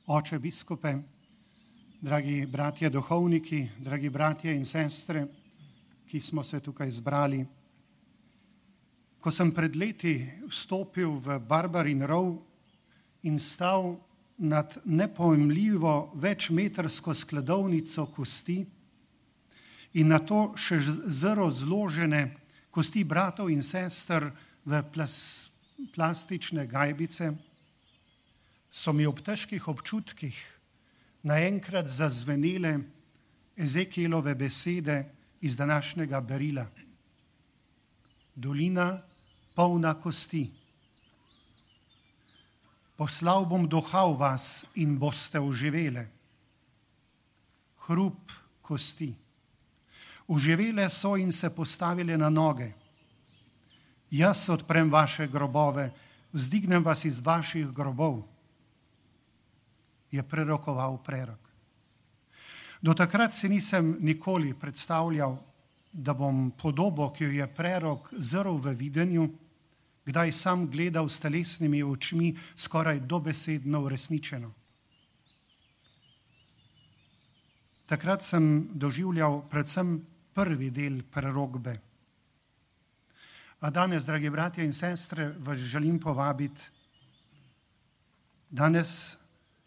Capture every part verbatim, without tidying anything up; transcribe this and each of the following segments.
Oče biskupe, dragi bratje duhovniki, dragi bratje in sestre, ki smo se tukaj zbrali. Ko sem pred leti vstopil v Barbarin rov in stal nad nepojmljivo večmetrsko skladovnico kosti in na to še zelo zložene kosti bratov in sester v plas, plastične gajbice, so mi ob težkih občutkih naenkrat zazvenele Ezekielove besede iz današnjega berila. Dolina polna kosti. Poslal bom duha v vas in boste oživele. Hrup kosti. Oživele so in se postavile na noge. Jaz odprem vaše grobove, vzdignem vas iz vaših grobov, je prerokoval prerok. Do takrat si nisem nikoli predstavljal, da bom podobo, ki jo je prerok zrl v videnju, kdaj sam gledal s telesnimi očmi, skoraj dobesedno uresničeno. Takrat sem doživljal predvsem prvi del prerokbe. A danes, dragi bratje in sestre, vas želim povabiti. Danes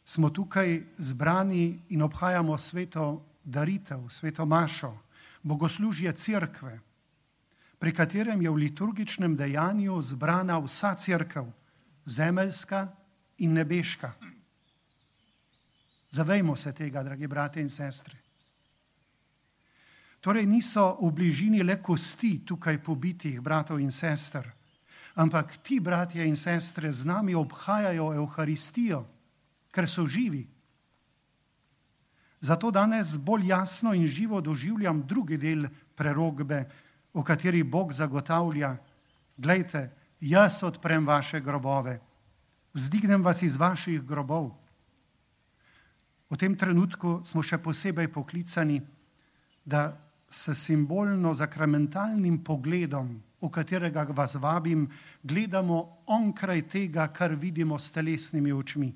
smo tukaj zbrani in obhajamo sveto daritev, sveto mašo, bogoslužje cerkve, pri katerem je v liturgičnem dejanju zbrana vsa cerkev, zemeljska in nebeška. Zavejmo se tega, dragi bratje in sestre. Torej niso v bližini le kosti tukaj pobitih bratov in sester, ampak ti bratje in sestre z nami obhajajo Evharistijo, ker so živi. Zato danes bolj jasno in živo doživljam drugi del prerokbe, v kateri Bog zagotavlja: glejte, jaz odprem vaše grobove, vzdignem vas iz vaših grobov. V tem trenutku smo še posebej poklicani, da s simbolno zakramentalnim pogledom, v katerega vas vabim, gledamo onkraj tega, kar vidimo s telesnimi očmi.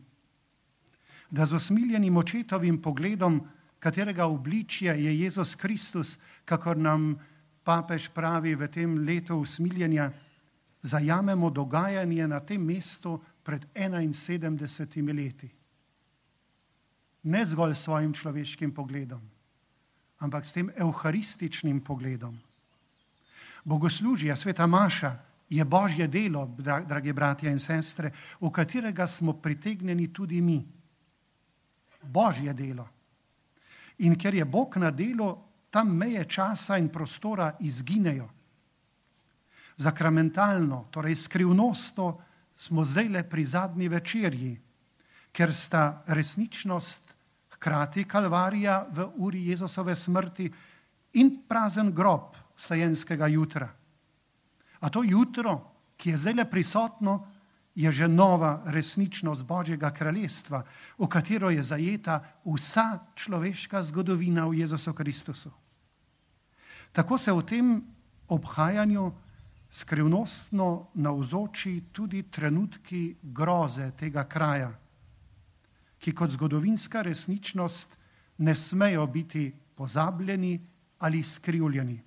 Da z usmiljenim očetovim pogledom, katerega obličje je Jezus Kristus, kakor nam papež pravi v tem letu usmiljenja, zajamemo dogajanje na tem mestu pred enainsedemdesetimi leti. Ne zgolj svojim človeškim pogledom, ampak s tem evharističnim pogledom. Bogoslužje, sveta maša, je Božje delo, dragi bratje in sestre, v katerega smo pritegnjeni tudi mi. Božje delo. In ker je Bog na delu, tam meje časa in prostora izginejo. Zakramentalno, torej skrivnostno, smo zdaj le pri zadnji večerji, ker sta resničnost hkrati kalvarija v uri Jezusove smrti in prazen grob vstajenskega jutra. A to jutro, ki je zdaj le prisotno, je že nova resničnost Božjega kraljestva, v katero je zajeta vsa človeška zgodovina v Jezusu Kristusu. Tako se v tem obhajanju skrivnostno navzoči tudi trenutki groze tega kraja, ki kot zgodovinska resničnost ne smejo biti pozabljeni ali skrivljeni.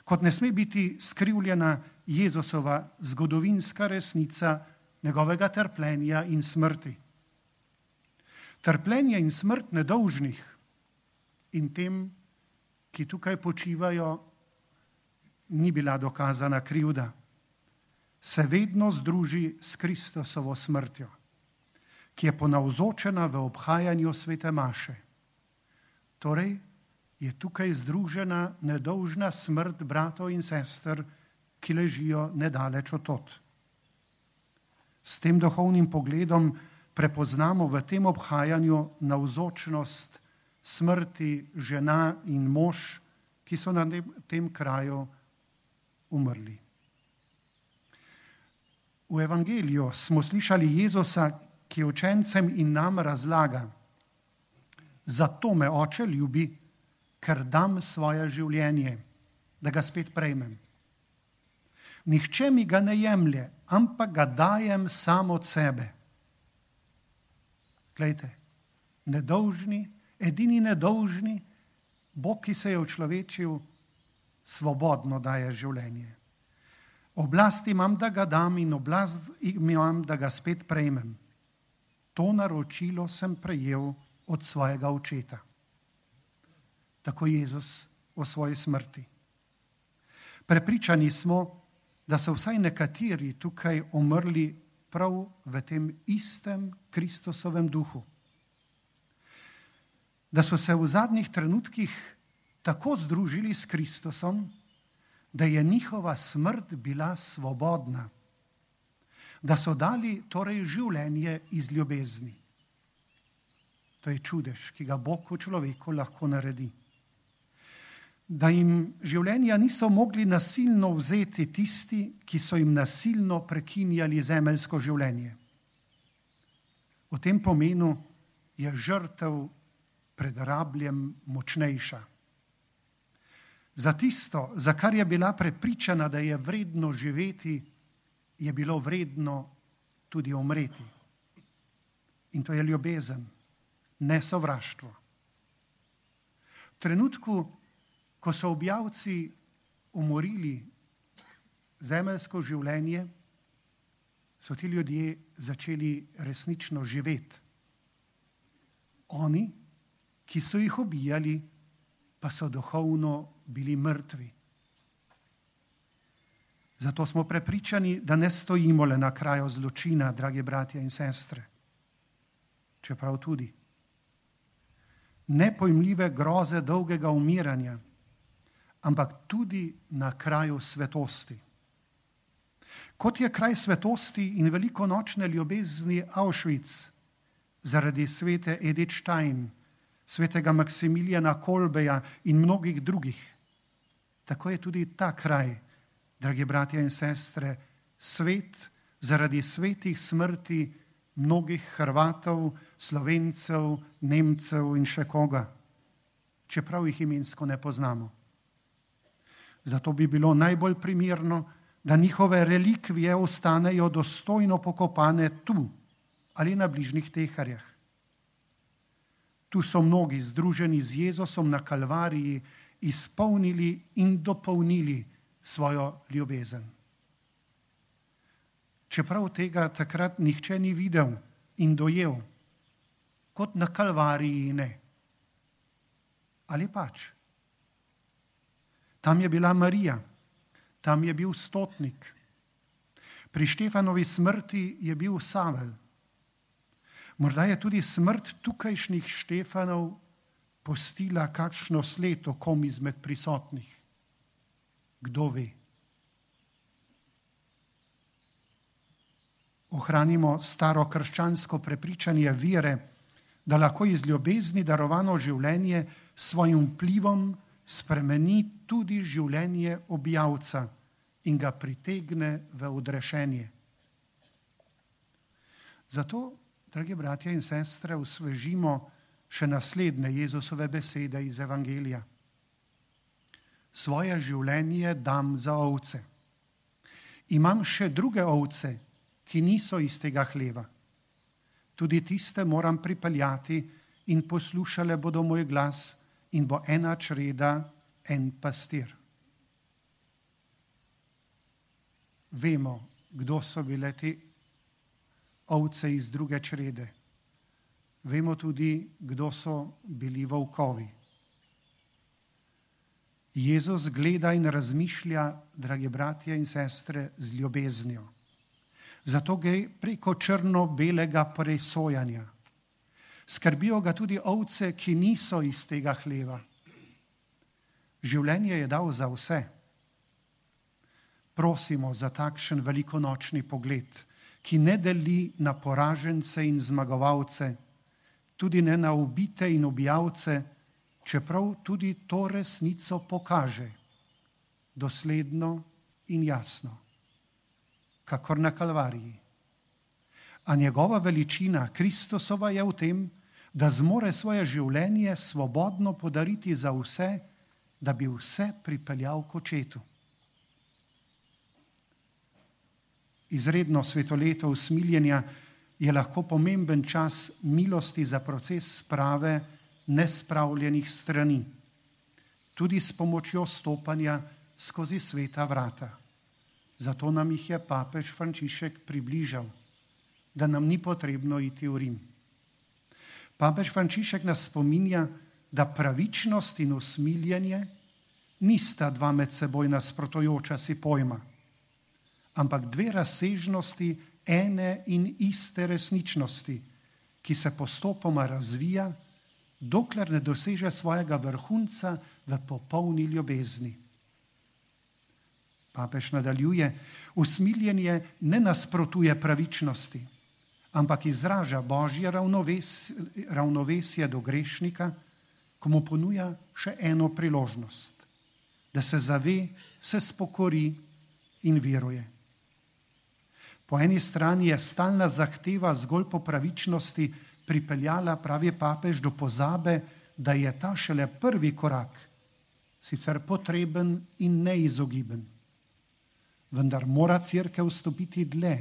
Kot ne sme biti skrivljena Jezusova zgodovinska resnica njegovega trpljenja in smrti. Trpljenje in smrt nedolžnih in tem, ki tukaj počivajo, ni bila dokazana krivda, se vedno združi s Kristusovo smrtjo, ki je ponavzočena v obhajanju svete maše. Torej je tukaj združena nedolžna smrt bratov in sester, ki ležijo nedaleč od tod. S tem duhovnim pogledom prepoznamo v tem obhajanju navzočnost smrti žena in mož, ki so na tem kraju umrli. V evangeliju smo slišali Jezusa, ki učencem in nam razlaga: zato me Oče ljubi, ker dam svoje življenje, da ga spet prejmem. Nihče mi ga ne jemlje, ampak ga dajem sam od sebe. Glejte, nedolžni, edini nedolžni, Bog, ki se je učlovečil, svobodno daje življenje. Oblast imam, da ga dam, in oblast imam, da ga spet prejmem. To naročilo sem prejel od svojega očeta. Tako Jezus o svoji smrti. Prepričani smo, da so vsaj nekateri tukaj umrli prav v tem istem Kristusovem duhu. Da so se v zadnjih trenutkih tako združili s Kristusom, da je njihova smrt bila svobodna, da so dali torej življenje iz ljubezni. To je čudež, ki ga Bog v človeku lahko naredi. Da jim življenja niso mogli nasilno vzeti tisti, ki so jim nasilno prekinjali zemeljsko življenje. V tem pomenu je žrtev pred rabljem močnejša. Za tisto, za kar je bila prepričana, da je vredno živeti, je bilo vredno tudi umreti. In to je ljubezen, ne sovraštvo. V trenutku, ko so objavci umorili zemeljsko življenje, so ti ljudje začeli resnično živeti. Oni, ki so jih ubijali, pa so duhovno bili mrtvi. Zato smo prepričani, da ne stojimo le na kraju zločina, dragi bratje in sestre, čeprav tudi. Nepojmljive groze dolgega umiranja, ampak tudi na kraju svetosti. Kot je kraj svetosti in velikonočne ljubezni Auschwitz zaradi svete Edith Stein, svetega Maksimilijana Kolbeja in mnogih drugih, tako je tudi ta kraj, dragi bratje in sestre, svet zaradi svetih smrti mnogih Hrvatov, Slovencev, Nemcev in še koga, čeprav jih imensko ne poznamo. Zato bi bilo najbolj primerno, da njihove relikvije ostanejo dostojno pokopane tu ali na bližnjih teharjah. Tu so mnogi združeni z Jezusom na Kalvariji izpolnili in dopolnili svojo ljubezen. Čeprav tega takrat nihče ni videl in dojel, kot na Kalvariji ne. Ali pač? Tam je bila Marija, tam je bil stotnik. Pri Štefanovi smrti je bil Savel. Morda je tudi smrt tukajšnjih Štefanov pustila kakšno sled o kom izmed prisotnih. Kdo ve? Ohranimo staro krščansko prepričanje vere, da lahko iz ljubezni darovano življenje s svojim vplivom spremeni tudi življenje objavca in ga pritegne v odrešenje. Zato, dragi bratje in sestre, osvežimo še naslednje Jezusove besede iz Evangelija. Svoje življenje dam za ovce. Imam še druge ovce, ki niso iz tega hleva. Tudi tiste moram pripeljati in poslušale bodo moj glas in bo ena čreda, en pastir. Vemo, kdo so bile te ovce iz druge črede. Vemo tudi, kdo so bili volkovi. Jezus gleda in razmišlja, dragi bratje in sestre, z ljubeznijo. Zato gre preko črno-belega presojanja. Skrbijo ga tudi ovce, ki niso iz tega hleva. Življenje je dal za vse. Prosimo za takšen velikonočni pogled, ki ne deli na poražence in zmagovalce, tudi ne na ubite in ubijavce, čeprav tudi to resnico pokaže, dosledno in jasno, kakor na Kalvariji. A njegova veličina Kristusova je v tem, da zmore svoje življenje svobodno podariti za vse, da bi vse pripeljal k očetu. Izredno svetoleto usmiljenja je lahko pomemben čas milosti za proces sprave nespravljenih strani, tudi s pomočjo stopanja skozi sveta vrata. Zato nam jih je papež Frančišek približal, da nam ni potrebno iti v Rim. Papež Frančišek nas spominja, da pravičnost in usmiljenje nista dva med seboj nasprotujoča si pojma, ampak dve razsežnosti ene in iste resničnosti, ki se postopoma razvija, dokler ne doseže svojega vrhunca v popolni ljubezni. Papež nadaljuje, usmiljenje ne nasprotuje pravičnosti, ampak izraža Božje ravnoves, ravnovesje do grešnika, ko mu ponuja še eno priložnost, da se zave, se spokori in veruje. Po eni strani je stalna zahteva zgolj po pravičnosti pripeljala, pravi papež, do pozabe, da je ta šele prvi korak, sicer potreben in neizogiben. Vendar mora Cerkev stopiti dlje,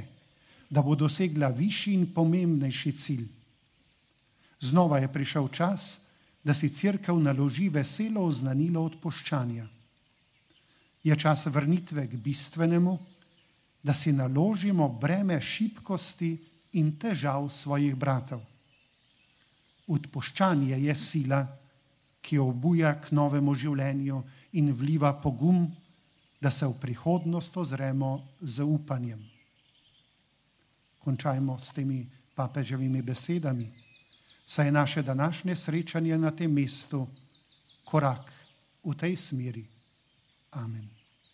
da bo dosegla višji in pomembnejši cilj. Znova je prišel čas, da si Cerkev naloži veselo oznanilo odpuščanja. Je čas vrnitve k bistvenemu, da si naložimo breme šibkosti in težav svojih bratov. Odpuščanje je sila, ki obuja k novemu življenju in vliva pogum, da se v prihodnost ozremo z upanjem. Končajmo s temi papeževimi besedami, saj je naše današnje srečanje na tem mestu korak v tej smeri. Amen.